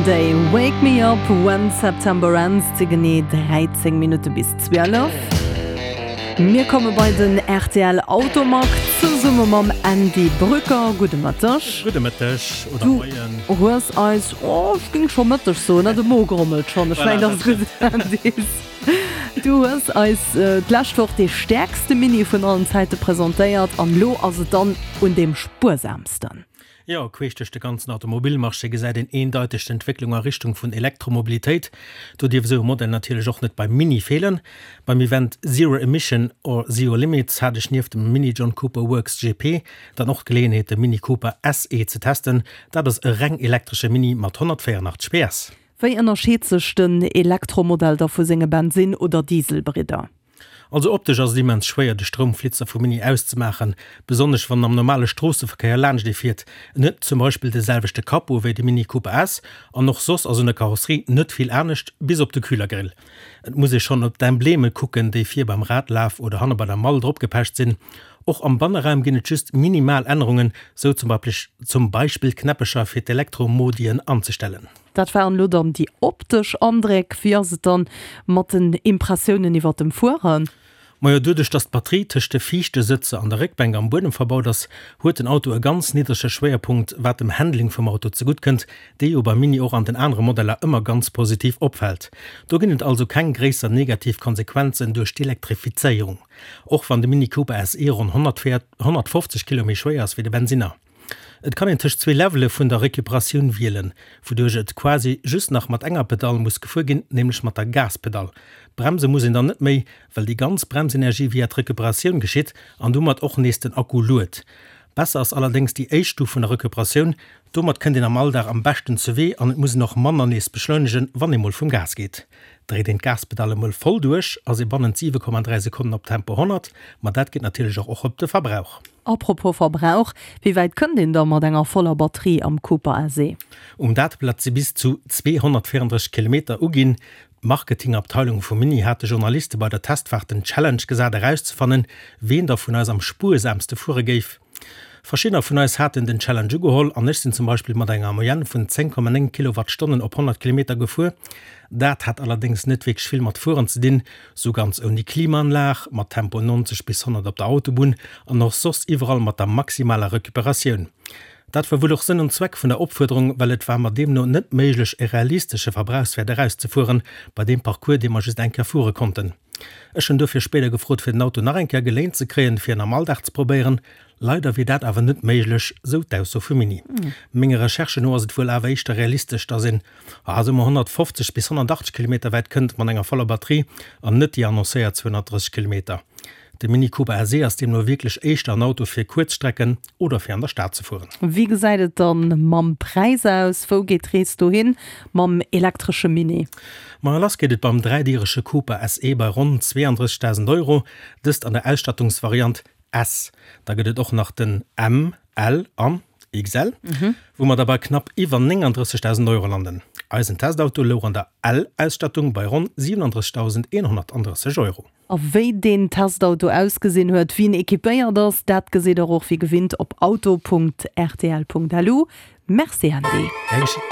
Day, Wake Me Up When September Ends, et si genee 13 Minutte bis 12. Mir komme bei den rtl Automag zesumme mam Andy Brücker. Gudde Mëtteg. Gudde Mëtteg oder Moien. Du hues eis, oh ech géing scho Mëtteg soen, ne, de Mo grommelt schonn, ech mengen dat ass gutt, Andy. Du hues eis d'lescht Woch dee stäerkste Mini vun allen Zäite presentéiert an elo ass et dann un deem spuersaamsten. Jo, queesch duerch de ganzen Automobilmarché gesäit een eendeiteg d'Entwécklung a Richtung vun Elektromobilitéit. Do dierf esou e Modell natierlech och net beim Mini feelen. Beim Event Zero Emission or Zero Limits hat ech nieft dem Mini John Cooper Works GP dann och d'Geleeënheet de Mini Cooper SE ze testen. Dat ass e reng elektresche Mini mat 184 PS. Wéi ënnerscheet sech den Elektromodell da vu senge Bensinn oder Dieselbridder? Also optesch ass et immens schwéier de Stroumflitzer vum Mini auszemaachen, besonnesch wann en am normale Stroosseverkéier laanscht ee fiert. En huet zum Beispill de selwechte Capot wéi de Mini Cooper S an och soss ass un der Karosserie net vill anescht, bis op de Kühlergrill. Et muss ee schonn op d'Embleme kucken, déi vir beim Radlaf oder hanne bei der Mall dropgepecht sinn. Och am Banneraum ginn et just minimal Ännerungen, sou zum Beispill d'Knäppecher fir d'Elektromodien anzestellen. Dat waren elo dann déi optesch Andréck. Wéi ass et dann mat den Impressiounen iwwert dem Fueren? Majo, doduerch dass d'Batterie tëscht de viischte Sëtzer an der Réckbänk am Buedem verbaut ass, huet den Auto e ganz niddrege Schwéierpunkt, wat dem Handling vum Auto zegutt kënnt, dee jo beim Mini och an den anere Modeller ëmmer ganz positiv opfält. Do ginn et also keng gréisser negativ Konsequenzen duerch d'Elektrifizéierung, och wann de Mini Cooper SE ronn 150 Kilo méi schwéier ass wéi de Bensinner. Et kann een tëscht zwee Levele vun der Recuperatioun wielen, wouduerch et quasi just nach mat enger Pedall muss gefuer ginn, nämlech mat der Gaspedall. Bremse muss een dann net méi, well déi ganz Bremsenergie via d'Recuperatioun geschitt an domat och nees den Akku luet. Besser ass allerdéngs déi éischt Stuf vun der Recuperatioun, domat kënnt een am Alldag am beschten zuwee an et muss een och manner nees beschleunegen, wann ee mol vum Gas geet. Dréit een d'Gaspedall emol voll duerch, ass ee bannent 7,3 Sekonnen op Tempo 100, ma dat geet natierlech och och op de Verbrauch. Apropos Verbrauch, wéi wäit kënnt een da mat enger voller Batterie am Cooper SE? Um Dateblat si bis zu 234 Kilometer uginn. D'Marketingabteilung vum Mini hat de Journaliste bei der Testfaart den Challenge gesat erauszefannen, ween da vun eis am spuersaamste fuere géif. Verschiddener vun eis haten den Challenge ugeholl an ech sinn zum Beispill mat enger Moyenne vun 10,9 Kilowattstonnen op 100 Kilometer gefuer. Dat hat allerdéngs net wierklech vill mat Fueren ze dinn, sou ganz ouni Klimaanlag, mat Tempo 90 bis 100 op der Autobunn an och soss iwwerall mat der maximaler Recuperatioun. Dat war wuel och Sënn an Zweck vun der Opfuerderung, well et war mer deemno net méiglech e realistesche Verbrauchswäert erauszefueren, bei deem Parcours, dee mer just eng Kéier fuere konnten. Ech hunn dofir spéider gefrot fir den Auto nach eng Kéier geléint ze kréien, fir en am Alldag ze probéieren. Leider wier dat awer net méiglech, sou d'Ausso vum Mini. Menge Recherchen no ass et wuel awer éischter realistesch, dass een, ah, soe mer 150 bis 180 Kilometer wäit kënnt mat enger voller Batterie an net déi annoncéiert 230 Kilometer. De Mini Cooper SE ass deemno wierklech éischter en Auto fir kuerz Strecken oder fir an der Stad ze fueren. Wéi gesäit et dann mam Präis aus? Wou geet d'Rees dohin mam elektresche Mini? Ma lass geet et beim dräidierege Cooper SE bei ronn 32.000 Euro, dëst an der Ausstattungsvariant S. Da gëtt et och nach den M, L an XL, wou mer da bei knapp iwwer 39.000 Euro landen. Eisen Testauto louch an der L-Ausstattung bei ronn 37.130 Euro. A wéi deen Testauto ausgesinn huet, wéi en equipéiert ass, dat gesitt der och wéi gewinnt op auto.rtl.lu. Merci Andy. Gär geschéngt.